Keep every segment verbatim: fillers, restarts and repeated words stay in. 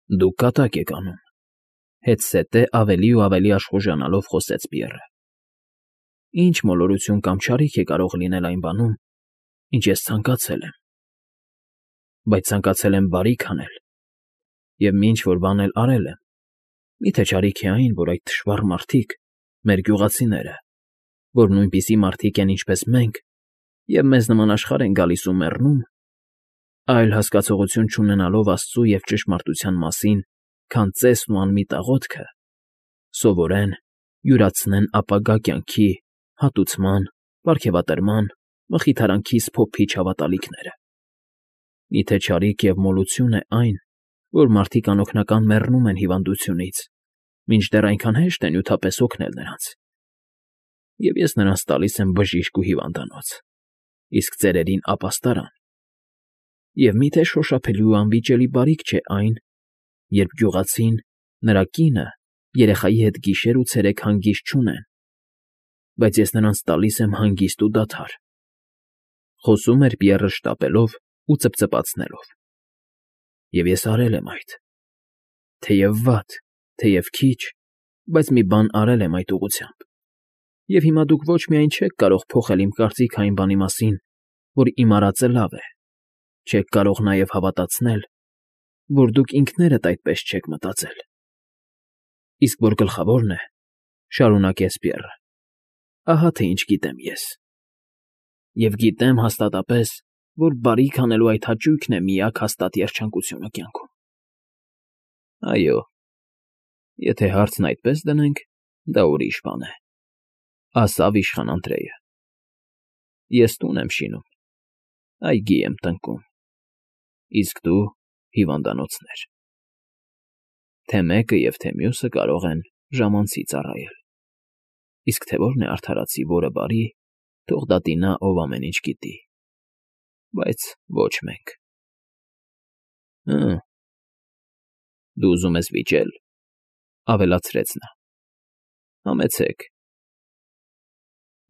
Դուք կատակ եք անում,֊ հետզհետե ավելի ու ավելի աշխուժանալով խոսեց Բիոռը։ Ինչ մոլորություն կամ չարիք է կարող լինել այն բանում, ինչ ես ցանկացել եմ, բայց ցանկացել եմ բարիք անել և մի ինչ֊որ բան էլ արել եմ, մի՞թե չարիք է այն, որ այդ թշվառ մարդիկ, մեր գյուղացիները, որ նույնպիսի մարդիկ են, ինչպես մենք, և մեզ նման աշխարհ են գալիս ու մեռնում, այլ հասկացողություն չունենալով աստծու և ճշմարտության մասին, քան ծեսն ու անմիտ աղոթքը, սովորեն, յուրացնեն ապագա կյանքի, հատուցման, պարգևատրման, մխիթարանքի սփոփիչ հավատալիքները։ Մի՞թե չարիք և մոլություն է այն, որ մարդիկ անօգնական մեռնում են հիվանդությունից, մինչդեռ այնքան հեշտ է նյութապես օգնել նրանց, և ես նրանց տալիս եմ բժիշկ ու հիվանդանոց, իսկ ծերերին ապաստարան, և մի՞թե շոշափելի ու անվիճելի բարիք չէ այն, երբ գյուղացին, նրա կինը, երեխայի հետ գիշեր ու ցերեկ հանգիստ չունեն, բայց ես նրանց տալիս եմ հանգիստ ու դադար,֊ խոսում էր Բիոռը շտապելով ու ծպծպացնելով։֊ Եվ ես արել եմ այդ, թեև վատ, թեև քիչ, բայց մի բան արել եմ այդ ուղղությամբ, և հիմա դուք ոչ միայն չեք կարող փոխել իմ կարծիքը այն բանի մասին, որ իմ արածը լավ է, չեք կարող նաև հավատացնել, որ դուք ինքներդ այդպես չեք մտածել, իսկ որ գլխավորն է, շարունակեց Բիոռը, ահա թե ինչ գիտեմ ես, և գիտեմ հաստատապես, որ բարիք անելու այդ հաճույքն է միակ հաստատ երջանկությունը կյանքում։ ֊ Այո, եթե հարցն այդպես դնենք, դա ուրիշ բան է,֊ ասավ իշխան Անդրեյը,֊ ես տուն եմ շինում, այգի եմ տնկում, իսկ դու՝ հիվանդանոցներ. թե մեկը և թե մյուսը կարող են ժամանցի ծառայել, իսկ թե որն է արդարացի, որը բարի, թող դա տինա, ով ամեն ինչ գիտի, բայց ոչ մենք։ ֊ Հը՛, դու ուզում ես վիճել,֊ ավելացրեց նա,֊ համեցեք։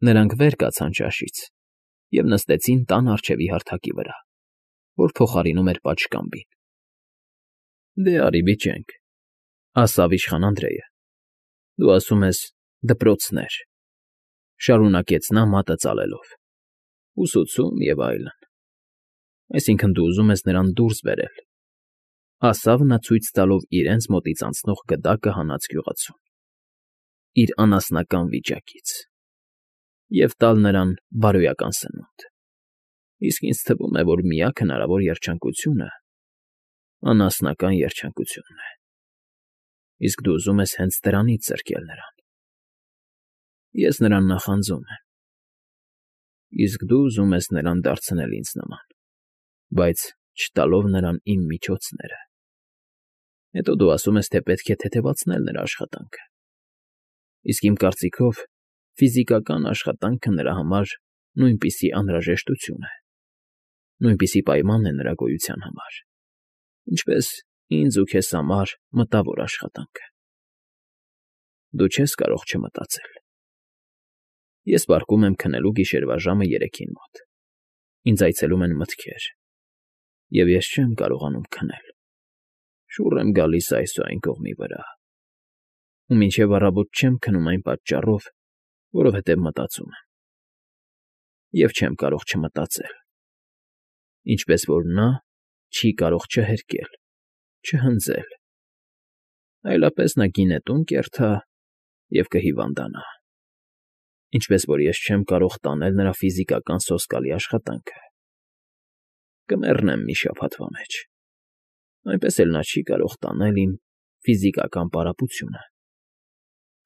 Նրանք վեր կացան ճաշից և նստեցին տան առջևի հարթակի վրա, որ փոխարինում էր պատշգամբին։ ֊ Դե արի վիճենք,֊ ասավ իշխան Անդրեյը,֊ դու ասում ես դպրոցներ,֊ շարունակեց նա մատը ծալելով,֊ ուսուցում և այլն, այսինքն դու ուզում ես նրան դուրս բերել,֊ ասավ նա ցույց տալով իրենց մոտից անցնող գդակը հանած գյուղացուն,֊ իր անասնական վիճակից, և տալ նրան բարոյական սնունդ, իսկ ինձ թվում է, որ միակ հնարավոր երջանկությունը անասնական երջանկությունն է, իսկ դու ուզում ես հենց դրանից զրկել նրան։ Ես նրան նախանձում եմ, իսկ դու ուզում ես նրան դարձնել ինձ նման, բայց չտալով նրան իմ միջոցները, հետո դու ասում ես, թե պետք է թեթևացնել նրա աշխատանքը, իսկ իմ կարծիքով ֆիզիկական աշխատանքը նրա համար նույնպիսի անհրաժեշտություն է, նույնպիսի պայման է նրա գոյության համար, ինչպես ինձ ու քեզ համար մտավոր աշխատանքը։ Դու չես կարող չմտածել։ Ես պառկում եմ քնելու գիշերվա ժամը երեքին մոտ, ինձ այցելում են մտքեր, և ես չեմ կարողանում քնել, շուռ եմ գալիս այս ու այն կողմի վրա, ու մինչև առավոտ չեմ քնում այն պատճառով, որովհետև մտածում եմ, և չեմ կարող չմտածել, ինչպես որ նա չի կարող չհերկել, չհնձել, այլապես նա գինետուն կերթա և կհիվանդանա, ինչպես որ ես չեմ կարող տանել նրա ֆիզիկական սոսկալի աշխատանքը, կմեռնեմ մի շաբաթվա մեջ, այնպես էլ նա չի կարող տանել իմ ֆիզիկական պարապությունը,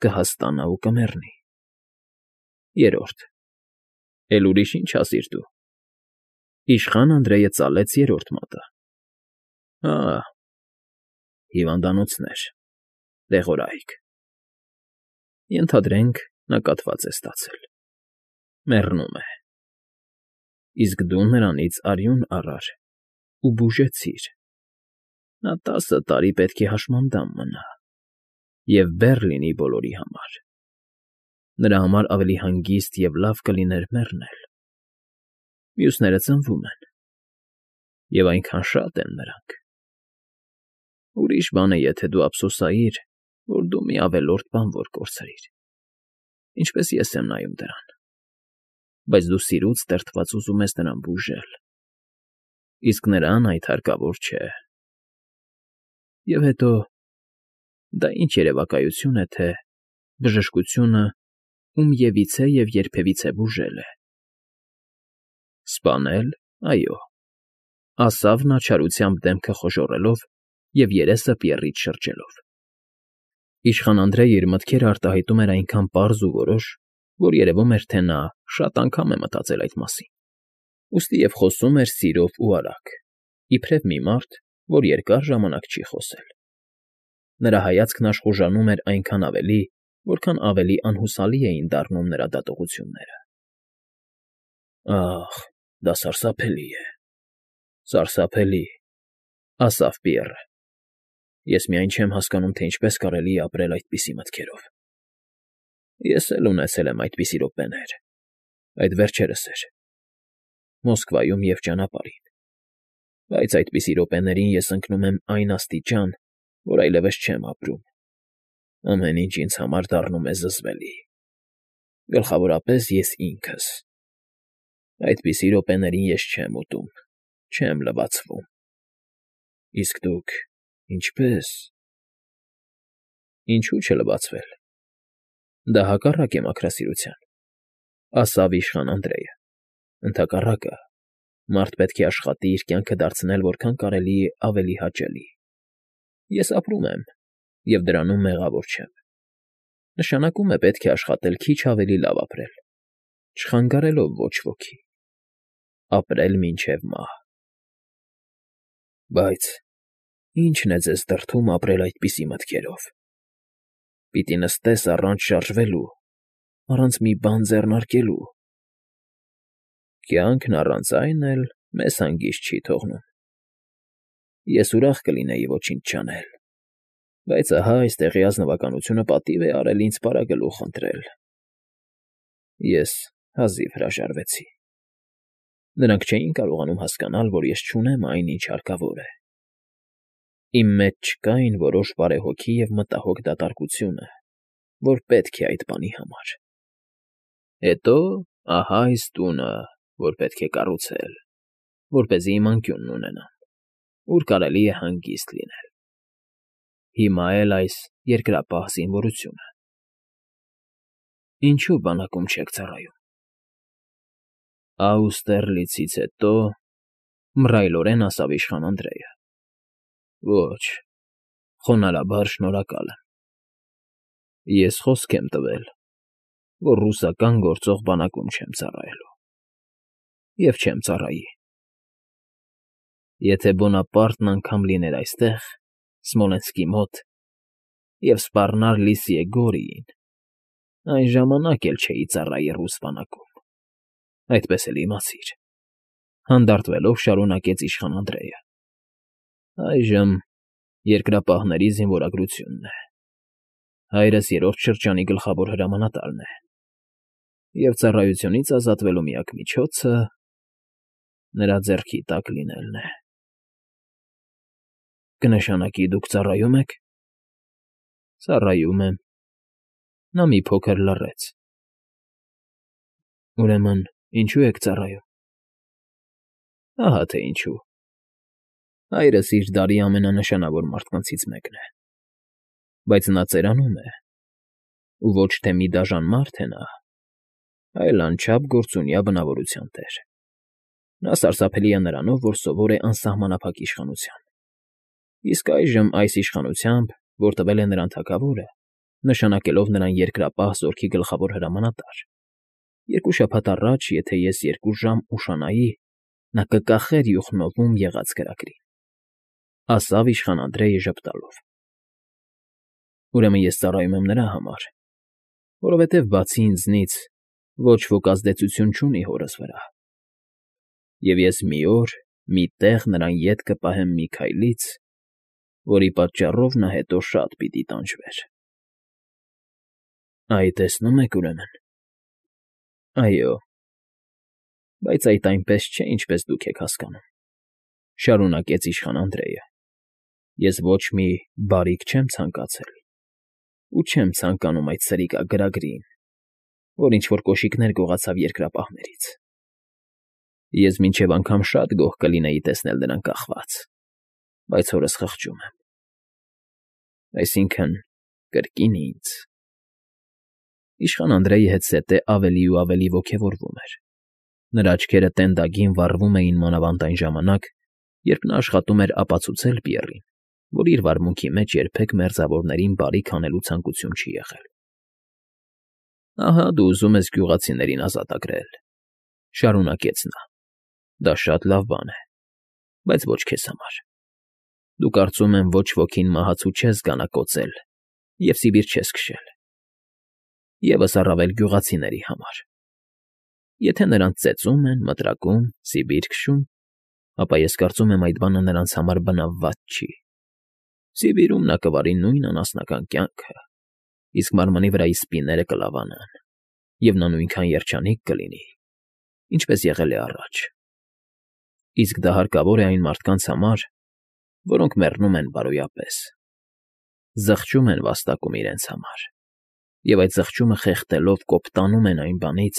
կհաստնա ու կմեռնի։ Երրորդ. Էլ ուրիշ ինչ ասիր դու։ Իշխան Անդրեյը ծալեց երրորդ մատը։ Հա՛, հիվանդանոցներ, դեղորայք, ենթադրենք, նա կաթված է ստացել, մեռնում է, իսկ դու նրանից արյուն առար ու բուժեցիր, նա տասը տարի պետք է հաշմանդամ մնա և բեռ լինի բոլորի համար, նրա համար ավելի հանգիստ և լավ կլիներ մեռնել, մյուսները ծնվում են, և այնքան շատ են նրանք, Ուրիշ բան է, եթե դու ափսոսայիր, որ դու մի ավելորդ բան որ կորցրիր, ինչպես ես եմ նայում դրան, բայց դու սիրուց տրտված ուզում ես նրան բուժել, իսկ նրան այդ հարկավոր չէ։ Եվ հետո, դա ինչ երևակայություն է, թե բժշկությունը ումևիցե և երբևիցե բուժել է։ Սպանել, այո, ասավ նա չարությամբ դեմքը խոժոռելով և երեսը պիռից շրջելով։ Իշխան Անդրեյը իր մտքերը արտահայտում էր այնքան պարզ ու որոշ, որ երևում էր, թե նա շատ անգամ է մտածել այդ մասին, ուստի և խոսում էր սիրով ու արագ, իբրև մի մարդ, որ երկար ժամանակ չի խոսել։ Նրա հայացքն աշխուժանում էր այնքան ավելի, որքան ավելի անհուսալի էին դառնում նրա դատողությունները։ Ահ, դա սարսափելի է, սարսափելի, ասավ Պիեռը։ Ես միայն չեմ հասկանում, թե ինչպես կարելի է ապրել այդպիսի մտքերով։ Ես էլ ունեցել եմ այդպիսի րոպեներ, այդ վերջերս էր, Մոսկվայում և ճանապարհին, բայց այդպիսի րոպեներին ես ընկնում եմ այն աստիճան, որ այլևս չեմ ապրում, ամեն ինչ ինձ համար դառնում է զզվելի, գլխավորապես ես ինքս։ Այդպիսի րոպեներին ես չեմ ուտում, չեմ լվացվում։ Իսկ դուք ինչպե՞ս։ Ինչու՞ չլվացվել։ Դա հակառակ է մաքրասիրության, ասավ իշխան Անդրեյը, ընդհակառակը, մարդ պետք է աշխատի իր կյանքը դարձնել որքան կարելի է ավելի հաճելի։ Ես ապրում եմ և դրանում մեղավոր չեմ։ Նշանակում է պետք է աշխատել քիչ ավելի լավ ապրել, չխանգարելով ոչ ոքի, ապրել մինչև մահ։ Բայց ի՞նչն է ձեզ դրդում ապրել այդպիսի մտքերով։ Պիտի նստես առանց շարժվելու, առանց մի բան ձեռնարկելու։ Կյանքն առանց այն էլ մեզ հանգիստ չի թողնում։ Ես ուրախ կլինեի ոչինչ չանել, բայց ահա այստեղի ազնվականությունը պատիվ է արել ինձ պարագլուխ ընտրել։ Ես հազիվ հրաժարվեցի։ Նրանք չէին կարողանում հասկանալ, որ ես չունեմ այն, ինչ հարկավոր է։ Իմ մեջ չկային որոշ բարեհոգի և մտահոգ դատարկությունը, որ պետք է այդ բանի համար։ Հետո ահա այս տունը, որ պետք է կառուցել, որպեսզի իմ անկյունն ունենամ, ուր կարելի է հանգիստ լինել։ Հիմա էլ այս երկրապահ զինվորությունը։ Ինչու բանակում չեք ծառայում։ Աուստերլիցից հետո, մռայլորեն ասավ իշխան Անդրեյը։ Ոչ, խոնարհաբար շնորհակալ եմ։ Ես խոսք եմ տվել, որ ռուսական գործող բանակում չեմ ծառայելու։ Եվ չեմ ծառայի։ Եթե Բոնապարտն անգամ լիներ այստեղ, Սմոլենսկի մոտ, և սպառնար Լիսիե Գորիին, այն ժամանակ էլ չէի ծառայի ռուս բանակում, այդպես էլ իմացիր,֊ հանդարտվելով շարունակեց իշխան Անդրեյը։ Այժմ երկրապահների զինվորագրությունն է։ Հայրս երրորդ շրջանի գլխավոր հրամանատարն է, և ծառայությունից ազատվելու միակ միջոցը նրա ձեռքի տակ լինելն է։ Կնշանակի դուք ծառայում եք։ Ծառայում եմ։ Նա մի փոքր լռեց։ Ուրեմն ինչու եք ծառայում։ Ահա թե ինչու։ Հայրս իր դարի ամենանշանավոր մարդկանցից մեկն է, բայց նա ծերանում է, ու ոչ թե մի դաժան մարդ է նա, այլ անչափ գործունյա բնավորության տեր։ Նա սարսափելի է նրանով, որ սովոր է անսահմանափակ իշխանության։ Իսկ այժմ այս իշխանությամբ, որ տվել է նրան թագավորը, նշանակելով նրան երկրապահ զորքի գլխավոր հրամանատար, երկու շաբաթ առաջ, եթե ես երկու ժամ ուշանայի, նա կկախեր Յուխնովում եղած կրակրին,֊ ասավ իշխան Անդրեյը ժպտալով։ Ուրեմն ես ծառայում եմ նրա համար, որովհետև բացի ինձնից ոչ ոք ազդեցություն չունի հորս վրա։ Եվ ես մի օր, մի տեղ նրան ետ կպահեմ մի քայլից, որի պատճառով նա հետո շատ պիտի տանջվեր։ Այ տեսնում եք, ուրեմն։ Այո, բայց այդ այնպես չէ, ինչպես դուք եք հասկանում,֊ շարունակեց իշխան Անդրեյը։ Ես ոչ մի բարիք չեմ ցանկացել ու չեմ ցանկանում այդ սրիկա֊գրագրին, որ ինչ֊որ կոշիկներ գողացավ երկրապահներից. ես մինչև անգամ շատ գոհ կլինեի տեսնել նրան կախված, բայց հորս խղճում եմ, այսինքն՝ կրկին ինձ… Իշխան Անդրեի հետզհետե ավելի ու ավելի ոգևորվում էր. նրա աչքերը տենդագին վառվում էին մանավանդ այն ժամանակ, երբ նա աշխատում էր ապացուցել Պիեռին, որ իր վարմունքի մեջ երբեք մերձավորներին բարիք անելու ցանկություն չի եղել։ ֊ Ահա դու ուզում ես գյուղացիներին ազատագրել,֊ շարունակեց նա,֊ դա շատ լավ բան է, բայց ոչ քեզ համար. դու կարծում եմ ոչ ոքին մահացու չես գանակոծել և սիբիր չես քշել, ևս առավել գյուղացիների համար. եթե նրանց ծեծում են, մտրակում, սիբիր քշում, ապա ես կարծում եմ այդ բանը նրանց համար բնավված չի. Սիբիրում նա կվարի նույն անասնական կյանքը, իսկ մարմնի վրայի սպիները կլավանան, և նա նույնքան երջանիկ կլինի, ինչպես եղել է առաջ, իսկ դա հարկավոր է այն մարդկանց համար, որոնք մեռնում են բարոյապես, զղջում են վաստակում իրենց համար և այդ զղջումը խեղդելով կոպտանում են այն բանից,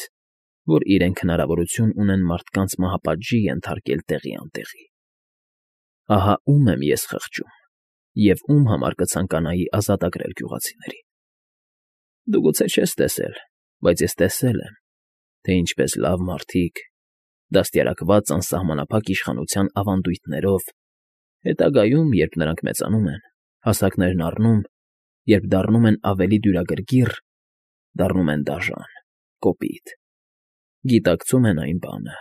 որ իրենք հնարավորություն ունեն մարդկանց մահապատժի ենթարկել տեղի անտեղի… Ահա ում եմ ես խղճում և ում համար կցանկանայի ազատագրել գյուղացիներին… Դու գուցե չես տեսել, բայց ես տեսել եմ, թե ինչպես լավ մարդիկ, դաստիարակված անսահմանափակ իշխանության ավանդույթներով, հետագայում, երբ նրանք մեծանում են, հասակներն առնում, երբ դառնում են ավելի դյուրագրգիռ, դառնում են դաժան, կոպիտ, գիտակցում են այն բանը,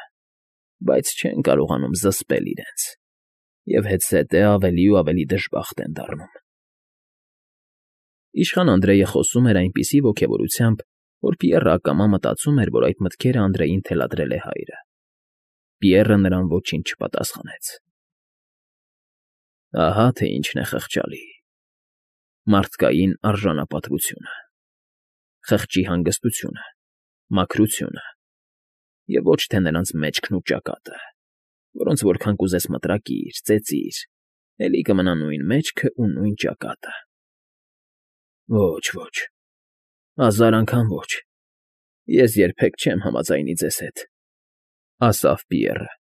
բայց չեն կարողանում զսպել իրենց և հետզհետե ավելի ու ավելի դժբախտ են դառնում… Իշխան Անդրեյը խոսում էր այնպիսի ոգևորությամբ, որ Պիեռը ակամա մտածում էր, որ այդ մտքերը Անդրեյին թելադրել է հայրը… Պիեռը նրան ոչինչ չպատասխանեց։ ֊ Ահա թե ինչն է խղճալի… մարդկային արժանապատվությունը, խղճի հանգստությունը, մաքրությունը և ոչ թե նրանց մեջքն ու ճակատը, որոնց որքան կուզես մտրակիր, ծեծիր, էլի կմնա նույն մեջքն ու նույն ճակատը… Ոչ, ոչ, հազար անգամ ոչ, ես երբեք չեմ համաձայնի ձեզ հետ,֊ ասաց Պիեռը։